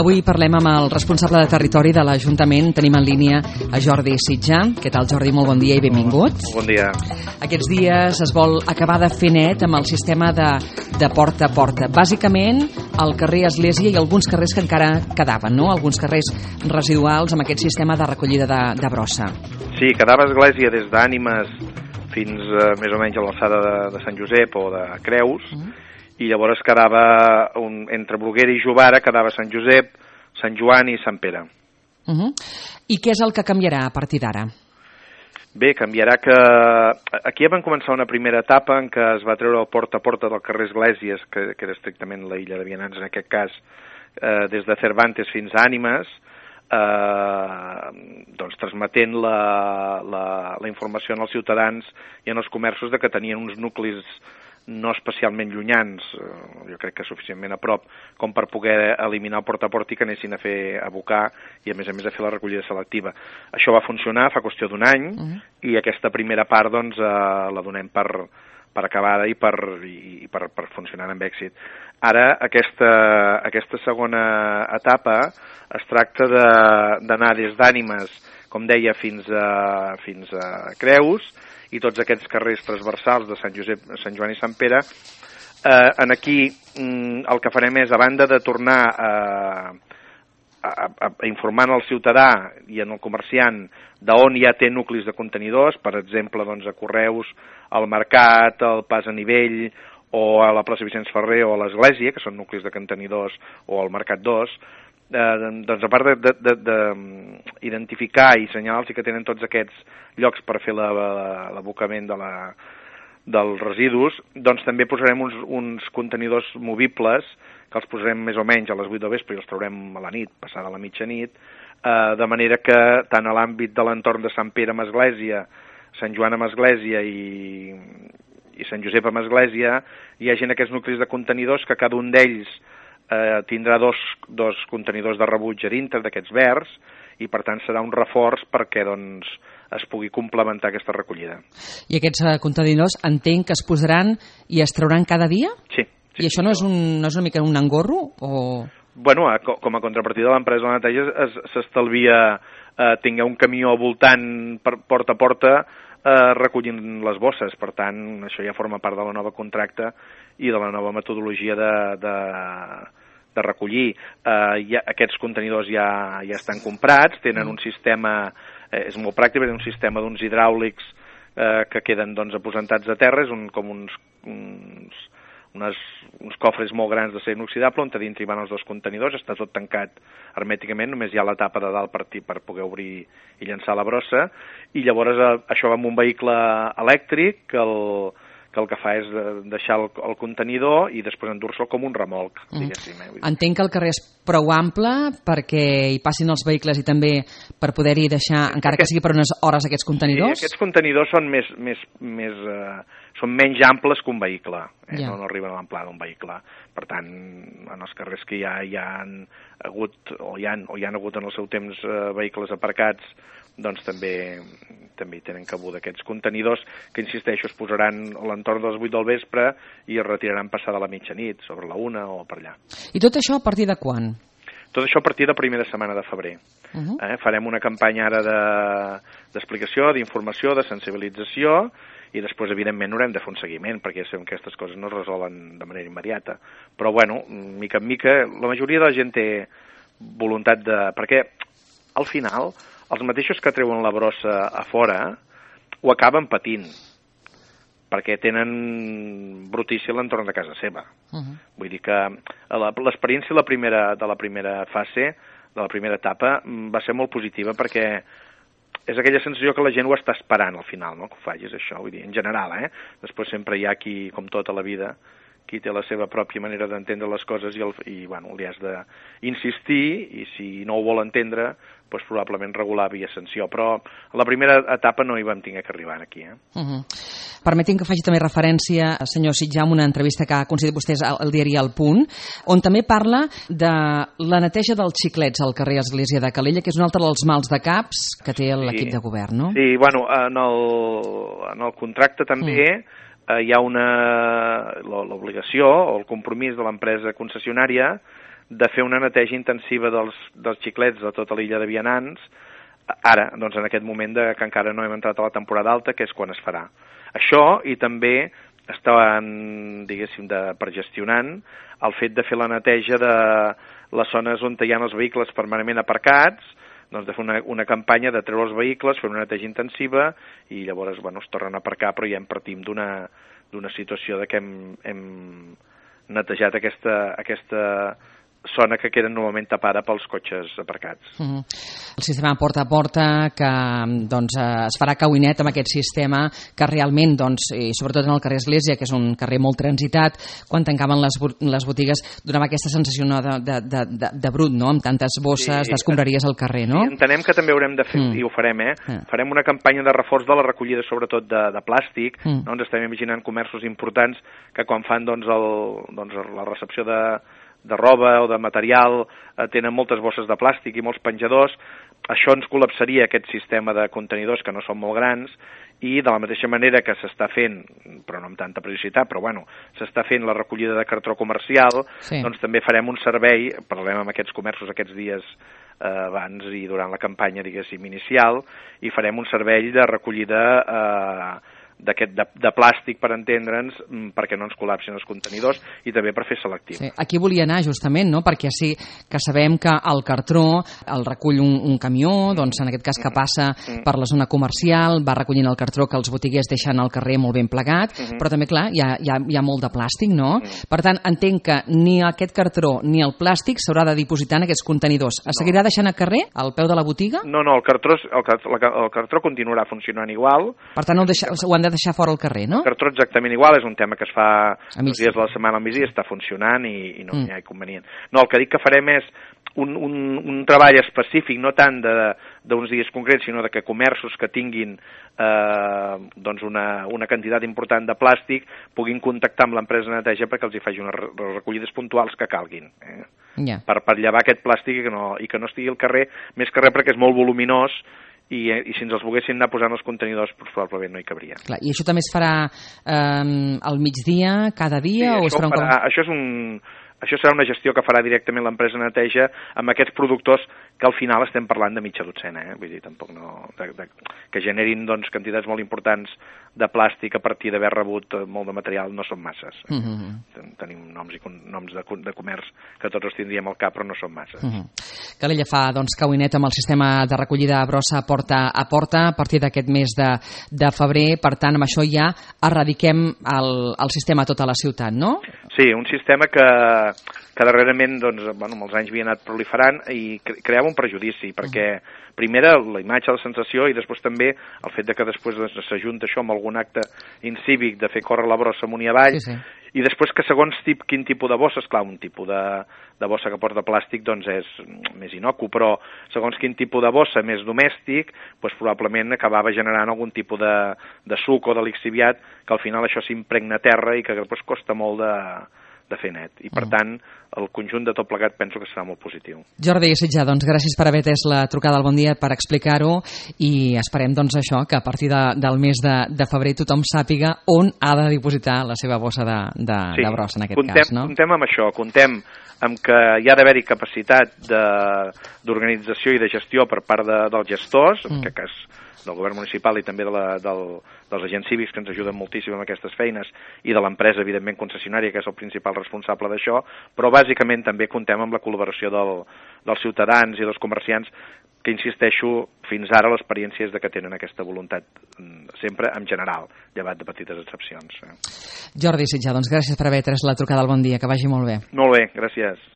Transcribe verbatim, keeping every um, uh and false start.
Avui parlem amb el responsable de territori de l'Ajuntament. Tenim en línia a Jordi Sitjà. Què tal, Jordi? Molt bon dia i benvingut. Bon dia. Aquests dies es vol acabar de fer net amb el sistema de, de porta a porta. Bàsicament, al carrer Església i alguns carrers que encara quedaven, no? Alguns carrers residuals amb aquest sistema de recollida de, de brossa. Sí, quedava Església des d'Ànimes fins eh, més o menys a l'alçada de, de Sant Josep o de Creus, uh -huh. i llavors quedava, un, entre Bruguera i Jovara, quedava Sant Josep, Sant Joan i Sant Pere. Uh -huh. I què és el que canviarà a partir d'ara? Bé, canviarà que... Aquí vam començar una primera etapa en què es va treure el porta a porta del carrer Esglésies, que, que era estrictament la illa de Vianants en aquest cas, eh, des de Cervantes fins a Ànimes, eh, doncs transmetent la, la, la informació als ciutadans i en els comerços de que tenien uns nuclis no especialment llunyans, jo crec que suficientment a prop, com per poder eliminar el porta a porta i que anessin a fer a abocar i a més a més a fer la recollida selectiva. Això va funcionar fa qüestió d'un any uh -huh. i aquesta primera part doncs eh, la donem per, per acabada i per, i per, per funcionar amb èxit. Ara aquesta, aquesta segona etapa es tracta d'anar de, des d'Ànimes, com deia, fins a, fins a Creus, i tots aquests carrers transversals de Sant Josep, Sant Joan i Sant Pere. Eh, en aquí mm, el que farem és, a banda de tornar a, a, a informar al ciutadà i en el comerciant d'on ja té nuclis de contenidors, per exemple, doncs, a Correus, al Mercat, al Pas a Nivell, o a la plaça Vicenç Ferrer o a l'Església, que són nuclis de contenidors, o al Mercat dos, eh, doncs a part d'identificar i assenyalar-los que tenen tots aquests llocs per fer l'abocament de la, dels residus, doncs també posarem uns, uns contenidors movibles, que els posarem més o menys a les vuit del vespre i els traurem a la nit, passada la mitjanit, eh, de manera que tant a l'àmbit de l'entorn de Sant Pere amb Església, Sant Joan amb Església i, i Sant Josep amb Església, hi hagi aquests nuclis de contenidors que cada un d'ells eh, tindrà dos, dos contenidors de rebuig a dintre d'aquests verds i per tant serà un reforç perquè doncs, es pugui complementar aquesta recollida. I aquests uh, contenidors entenc que es posaran i es trauran cada dia? Sí. sí I això no és, un, no és una mica un engorro? O... Bueno, a, com a contrapartida de l'empresa de la neteja s'estalvia eh, tingué un camió voltant per porta a porta eh, recollint les bosses. Per tant, això ja forma part de la nova contracte i de la nova metodologia de, de, de recollir. Eh, ja, aquests contenidors ja, ja estan comprats, tenen un sistema... Eh, és molt pràctic, és un sistema d'uns hidràulics eh, que queden doncs, aposentats a terra, és un, com uns, uns, unes, uns cofres molt grans d'acer inoxidable on a dintre hi van els dos contenidors, està tot tancat hermèticament, només hi ha la tapa de dalt per, per poder obrir i llançar la brossa, i llavors eh, això va amb un vehicle elèctric que el, que el que fa és deixar el, el contenidor i després endur-se'l com un remolc, diguéssim. Mm. Eh? Entenc que el carrer és prou ample perquè hi passin els vehicles i també per poder-hi deixar, encara que sigui per unes hores, aquests contenidors? Sí, aquests contenidors són més, més, més, eh, són menys amples que un vehicle, eh? ja. no, no arriben a l'amplada d'un vehicle. Per tant, en els carrers que ja hi han hagut, o hi han, o hi han hagut en el seu temps eh, vehicles aparcats, doncs també també hi tenen cabuda aquests contenidors que, insisteixo, es posaran a l'entorn de les vuit del vespre i es retiraran passada la mitjanit, sobre la una o per allà. I tot això a partir de quan? Tot això a partir de la primera setmana de febrer. Uh-huh. eh? Farem una campanya ara d'explicació, de, d'informació, de sensibilització i després, evidentment, haurem de fer un seguiment perquè ja sabem que aquestes coses no es resolen de manera immediata. Però, bueno, mica en mica, la majoria de la gent té voluntat de... Perquè, al final, els mateixos que treuen la brossa a fora ho acaben patint perquè tenen brutícia a l'entorn de casa seva. Uh-huh. Vull dir que l'experiència la primera, de la primera fase, de la primera etapa, va ser molt positiva perquè és aquella sensació que la gent ho està esperant al final, no? Que ho facis això, vull dir, en general, eh? Després sempre hi ha qui, com tota la vida, qui té la seva pròpia manera d'entendre les coses i, el, i bueno, li has d'insistir i si no ho vol entendre, doncs probablement regular via sanció. Però a la primera etapa no hi vam tenir que arribar aquí. Eh? Uh-huh. Permetin que faci també referència, senyor Sitjà, a una entrevista que ha concedit vostès al diari El Punt, on també parla de la neteja dels xiclets al carrer Església de Calella, que és un altre dels mals de caps que té l'equip sí. de govern, no? Sí, bueno, en el, en el contracte també mm. eh, hi ha una l'obligació o el compromís de l'empresa concessionària de fer una neteja intensiva dels, dels xiclets de tota l'illa de Vianants, ara, doncs en aquest moment de, que encara no hem entrat a la temporada alta, que és quan es farà. Això, i també estaven, diguéssim, de, per gestionant el fet de fer la neteja de les zones on hi ha els vehicles permanentment aparcats, doncs de fer una, una campanya de treure els vehicles, fer una neteja intensiva i llavors bueno, es tornen a aparcar, però ja en partim d'una d'una situació de que hem, hem netejat aquesta, aquesta zona que queda normalment tapada pels cotxes aparcats. Uh-huh. El sistema porta a porta, que doncs, es farà cauinet amb aquest sistema que realment, doncs, i sobretot en el carrer Església, que és un carrer molt transitat, quan tancaven les, les botigues donava aquesta sensació no, de, de, de, de brut, no? Amb tantes bosses sí, d'escombraries al carrer, no? Sí, entenem que també haurem de fer, mm. i ho farem, eh? Mm. Farem una campanya de reforç de la recollida, sobretot de, de plàstic, mm. no? Ens estem imaginant comerços importants que quan fan doncs, el, doncs, la recepció de de roba o de material, eh, tenen moltes bosses de plàstic i molts penjadors. Això ens col·lapsaria aquest sistema de contenidors que no són molt grans i de la mateixa manera que s'està fent, però no amb tanta periodicitat, però bueno, s'està fent la recollida de cartró comercial, sí. Doncs també farem un servei, parlem amb aquests comerços aquests dies eh, abans i durant la campanya, diguéssim, inicial, i farem un servei de recollida eh, d'aquest de, de plàstic, per entendre'ns, perquè no ens col·lapsin els contenidors i també per fer selectiu. Sí, aquí volia anar justament, no? Perquè sí que sabem que el cartró el recull un, un camió, doncs en aquest cas que passa mm. per la zona comercial, va recollint el cartró que els botiguers deixen al carrer molt ben plegat, mm -hmm. però també, clar, hi ha, hi ha, hi ha molt de plàstic, no? Mm. Per tant, entenc que ni aquest cartró ni el plàstic s'haurà de dipositar en aquests contenidors. Es no. seguirà deixant al carrer, al peu de la botiga? No, no, el cartró, el, el, el cartró continuarà funcionant igual. Per tant, ho, deixa, ho han de deixar fora al carrer, no? El cartró exactament igual, és un tema que es fa els dies de la setmana al migdia, està funcionant i, i no mm. hi ha inconvenient. No, el que dic que farem és un, un, un treball específic, no tant d'uns dies concrets, sinó de que comerços que tinguin eh, doncs una, una quantitat important de plàstic puguin contactar amb l'empresa de neteja perquè els hi faci unes recollides puntuals que calguin. Eh? Yeah. Per, per llevar aquest plàstic i que, no, i que no estigui al carrer, més que res perquè és molt voluminós I, i si ens els volguessin anar posant els contenidors doncs probablement no hi cabria. Clar, i això també es farà eh, al migdia, cada dia? Sí, o això, es farà un... farà, això, és un, això serà una gestió que farà directament l'empresa neteja amb aquests productors que al final estem parlant de mitja dotzena, eh? Vull dir, tampoc no... De, de, que generin doncs, quantitats molt importants de plàstic a partir d'haver rebut molt de material no són masses. Eh? Mm-hmm. Tenim noms, i noms de, de comerç que tots els tindríem al cap, però no són masses. Mm-hmm. Calella fa doncs, cauinet amb el sistema de recollida a brossa porta a porta a partir d'aquest mes de, de febrer. Per tant, amb això ja erradiquem el, el sistema a tota la ciutat, no? Sí, un sistema que, que darrerament doncs, bueno, amb els anys havia anat proliferant i creava un prejudici, perquè primera la imatge, la sensació i després també el fet de que després s'ajunta això amb algun acte incívic de fer córrer la brossa amunt i avall, sí, sí. I després que segons tip, quin tipus de bossa, esclar, un tipus de, de bossa que porta plàstic doncs és més inocu, però segons quin tipus de bossa més domèstic, doncs probablement acabava generant algun tipus de, de suc o de lixiviat que al final això s'impregna a terra i que després costa molt de, de fer net. I per tant, el conjunt de tot plegat penso que serà molt positiu. Jordi Sitjà, doncs gràcies per haver atès la trucada al Bon Dia, per explicar-ho i esperem doncs això, que a partir de, del mes de, de febrer tothom sàpiga on ha de dipositar la seva bossa de, de, sí, de brossa en aquest contem, cas, no? Contem amb això, contem amb que hi ha d'haver-hi capacitat d'organització i de gestió per part de, dels gestors, mm. en aquest cas del govern municipal i també de la, del, dels agents cívics que ens ajuden moltíssim amb aquestes feines i de l'empresa, evidentment, concessionària, que és el principal responsable d'això, però bàsicament també contem amb la col·laboració del, dels ciutadans i dels comerciants que, insisteixo, fins ara l'experiència és de que tenen aquesta voluntat sempre en general, llevat de petites excepcions. Jordi Sitjà, doncs gràcies per haver atès la trucada al Bon Dia, que vagi molt bé. Molt bé, gràcies.